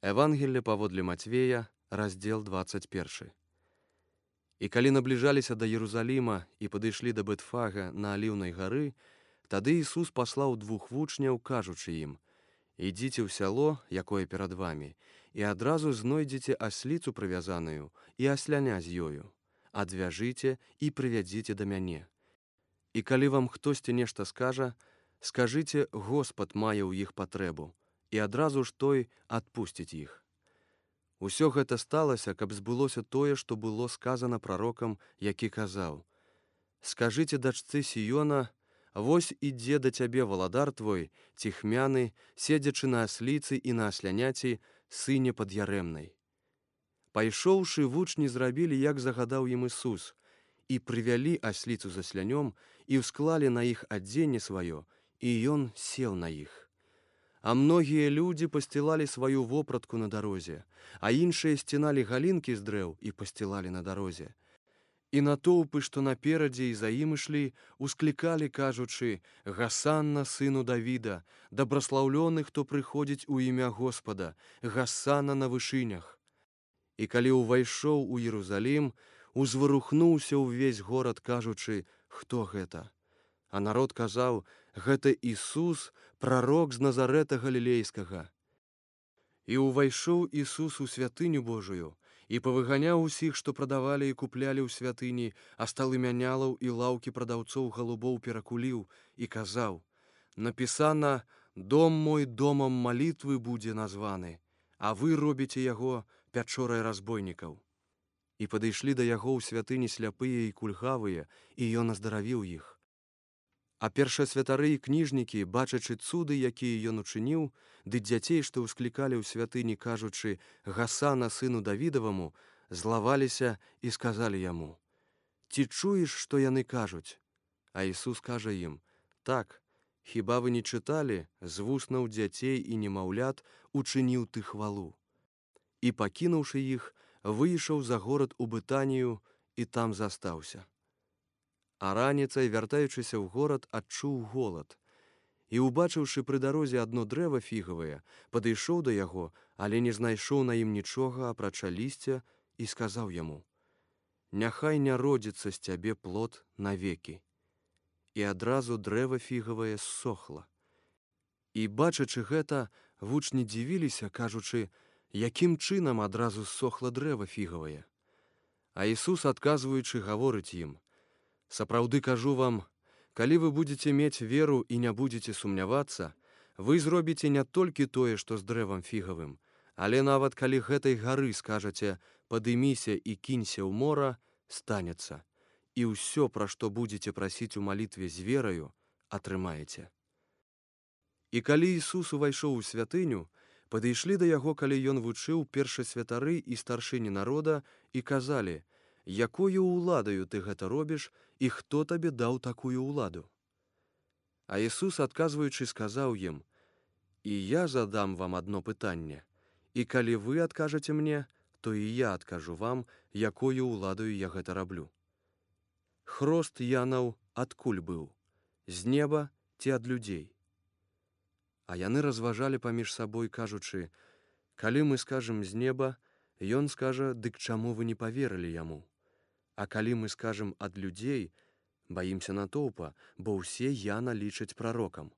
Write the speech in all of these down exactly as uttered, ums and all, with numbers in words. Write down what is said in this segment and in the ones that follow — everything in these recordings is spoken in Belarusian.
Евангелле паводле Мацвея, раздзел двадцать першы. І калі набліжаліся да Єрусаліма і падышлі да Бэтфага на Аліўнай гары, тады Ісус паслаў двух вучняў, кажучы ім: «Ідзіце ў сяло, якое перад вамі, і адразу знойдзеце асліцу прывязаную і асляня з ёю. Адвяжыце і прывядзіце да мяне. І калі вам хтосьці нешта скажа, скажыце: Господ мае ў іх патрэбу, і адразу ж той адпусціць іх». Усё гэта сталася, каб збылося тое, што было сказана прарокам, які казаў: «Скажыце дачцы Сіёна: вось ідзе да цябе валадар твой, ціхмяны, седзячы на асліцы і на асляняці, сыне пад'ярэмнай». Пайшоўшы, вучні зрабілі, як загадаў ім Ісус, і прывялі асліцу з аслянём, і ўсклалі на іх адзенне сваё, і ён сеў на іх. А многія людзі пасцілалі сваю вопратку на дарозе, а іншыя сціналі галінкі з дрэў і пасцілалі на дарозе. І натоўпы, што наперадзе і за ім ішлі, усклікалі, кажучы: «Гасанна сыну Давіда, дабраслаўлёны, хто прыходзіць у імя Господа, гасанна на вышынях». І калі ўвайшоў у Єрусалім, узварухнуўся ўвесь горад, кажучы: «Хто гэта?» А народ казаў: «Гэта Ісус, прарок з Назарэта Галілейскага». І ўвайшоў Ісус у святыню Божую, і павыганяў усіх, што прадавалі і куплялі ў святыні, а сталы мянялаў і лаўкі прадаўцоў галубоў перакуліў, і казаў: «Напісана: дом мой домам малітвы будзе названы, а вы робіце яго пячорай разбойнікаў». І падышлі да яго ў святыні сляпыя і кульгавыя, і ён аздаравіў іх. А першасвятары і кніжнікі, бачачы цуды, якія ён учыніў, ды дзяцей, што ўсклікалі ў святыні, кажучы: «Гасана сыну Давідаваму», злаваліся і сказалі яму: «Ці чуеш, што яны кажуць?» А Ісус кажа ім: «Так, хіба вы не чыталі: з вуснаў дзяцей і немаўлят учыніў ты хвалу?» І, пакінуўшы іх, выйшаў за горад у Бытанію і там застаўся. А раніцай, вяртаючыся ў горад, адчуў голад. І, убачыўшы пры дарозе адно дрэва фігавае, падышоў да яго, але не знайшоў на ім нічога, апрача лісця, і сказаў яму: «Няхай не родзіцца з цябе плод навекі». І адразу дрэва фігавае ссохла. І, бачачы гэта, вучні дзівіліся, кажучы: «Якім чынам адразу ссохла дрэва фігавае?» А Ісус, адказваючы, гаворыць ім: «Сапраўды кажу вам, калі вы будзеце мець веру і не будзеце сумнявацца, вы зробіце не толькі тое, што з дрэвам фігавым, але нават калі гэтай гары скажаце: падыміся і кінься ў мора, станецца, і ўсё, пра што будзеце прасіць у малітве з вераю, атрымаеце». І калі Ісус увайшоў у святыню, падышлі да яго, калі ён вучыў, першасвятары і старшыні народа, і казалі: «Якою ўладаю ты гэта робіш, і хто табе даў такую ўладу?» А Ісус, адказваючы, сказаў ім: «І я задам вам адно пытанне, і калі вы адкажаце мне, то і я адкажу вам, якою ўладаю я гэта раблю. Хрост Янаў адкуль быў? З неба ці ад людзей?» А яны разважалі паміж сабой, кажучы: «Калі мы скажам з неба, ён скажа: дык чаму вы не паверылі яму? А калі мы скажам ад людзей, баімся натоўпа, бо ўсе Яна лічаць прарокам».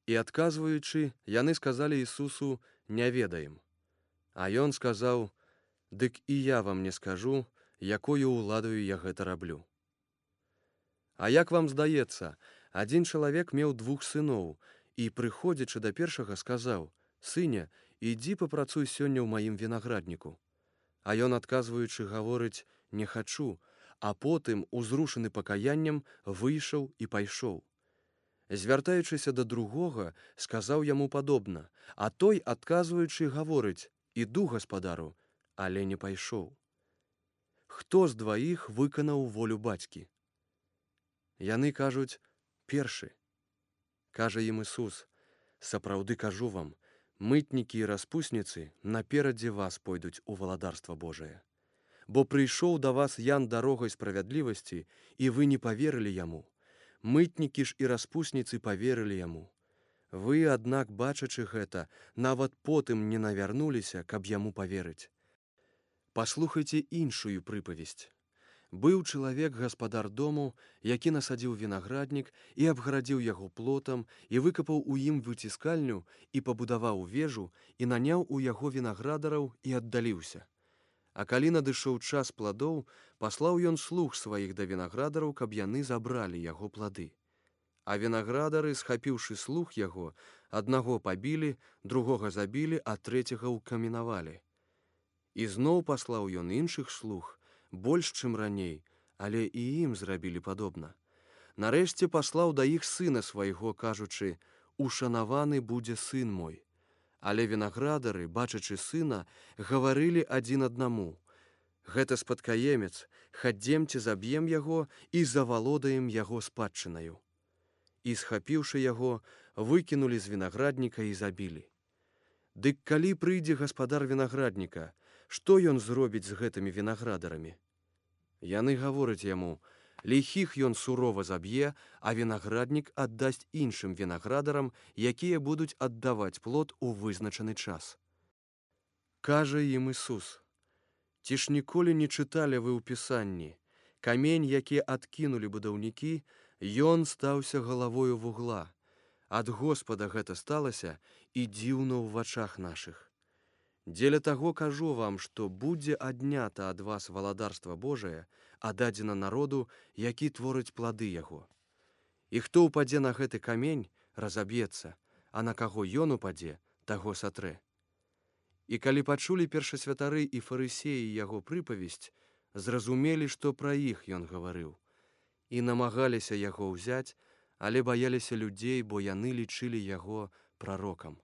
І, адказваючы, яны сказалі Ісусу: «Не ведаем». А ён сказаў: «Дык і я вам не скажу, якою ўладаю я гэта раблю. А як вам здаецца, адзін чалавек меў двух сыноў, і, прыходзячы да першага, сказаў: «Сыне, ідзі папрацуй сёння ў маім вінаградніку». А ён, адказваючы, гаворыць: «Не хачу», а потым, узрушаны пакаяннем, выйшаў і пайшоў. Звяртаючыся да другога, сказаў яму падобна, а той, адказваючы, гаворыць: «Іду, гаспадару», але не пайшоў. Хто з дваіх выканаў волю бацькі? Яны кажуць: «Першы». Кажа ім Ісус: «Сапраўды кажу вам, мытнікі і распусніцы наперадзе вас пойдуць у валадарства Божае. Бо прыйшоў да вас Ян дарогай справядлівасці, і вы не паверылі яму. Мытнікі ж і распусніцы паверылі яму. Вы, аднак, бачачы гэта, нават потым не навярнуліся, каб яму паверыць. Паслухайце іншую прыпавесць. Быў чалавек гаспадар дому, які насадзіў вінаграднік і абгарадзіў яго плотам і выкапаў у ім выціскальню і пабудаваў вежу і наняў у яго вінаградараў і аддаліўся. А калі надышоў час пладоў, паслаў ён слуг сваіх да вінаградараў, каб яны забралі яго плады. А вінаградары, схапіўшы слуг яго, аднаго пабілі, другога забілі, а трэцяга ўкаменавалі. І зноў паслаў ён іншых слуг, больш, чым раней, але і ім зрабілі падобна. Нарэшце паслаў да іх сына свайго, кажучы: «Ушанаваны будзе сын мой». Але вінаградары, бачачы сына, гаварылі адзін аднаму: «Гэта спадкаемец, хадземце заб'ем яго і завалодаем яго спадчынаю». І, схапіўшы яго, выкінулі з вінаградніка і забілі. Дык калі прыйдзе гаспадар вінаградніка, што ён зробіць з гэтымі вінаградарамі? Яны гавораць яму: «Ліхіх ён сурова заб'е, а вінаграднік аддасць іншым вінаградарам, якія будуць аддаваць плод у вызначаны час». Кажа ім Ісус: «Ці ж ніколі не чыталі вы ў Пісанні: камень, які адкінулі будаўнікі, ён стаўся галавою вугла. Ад Господа гэта сталася, і дзіўна ў вачах нашых. Дзеля таго кажу вам, што будзе аднята ад вас валадарства Божае, а дадзена народу, які творыць плады яго. І хто ўпадзе на гэты камень, разаб'ецца, а на каго ён упадзе, таго сатрэ». І калі пачулі першасвятары і фарысеі яго прыпавесць, зразумелі, што пра іх ён гаварыў, і намагаліся яго ўзяць, але баяліся людзей, бо яны лічылі яго прарокам.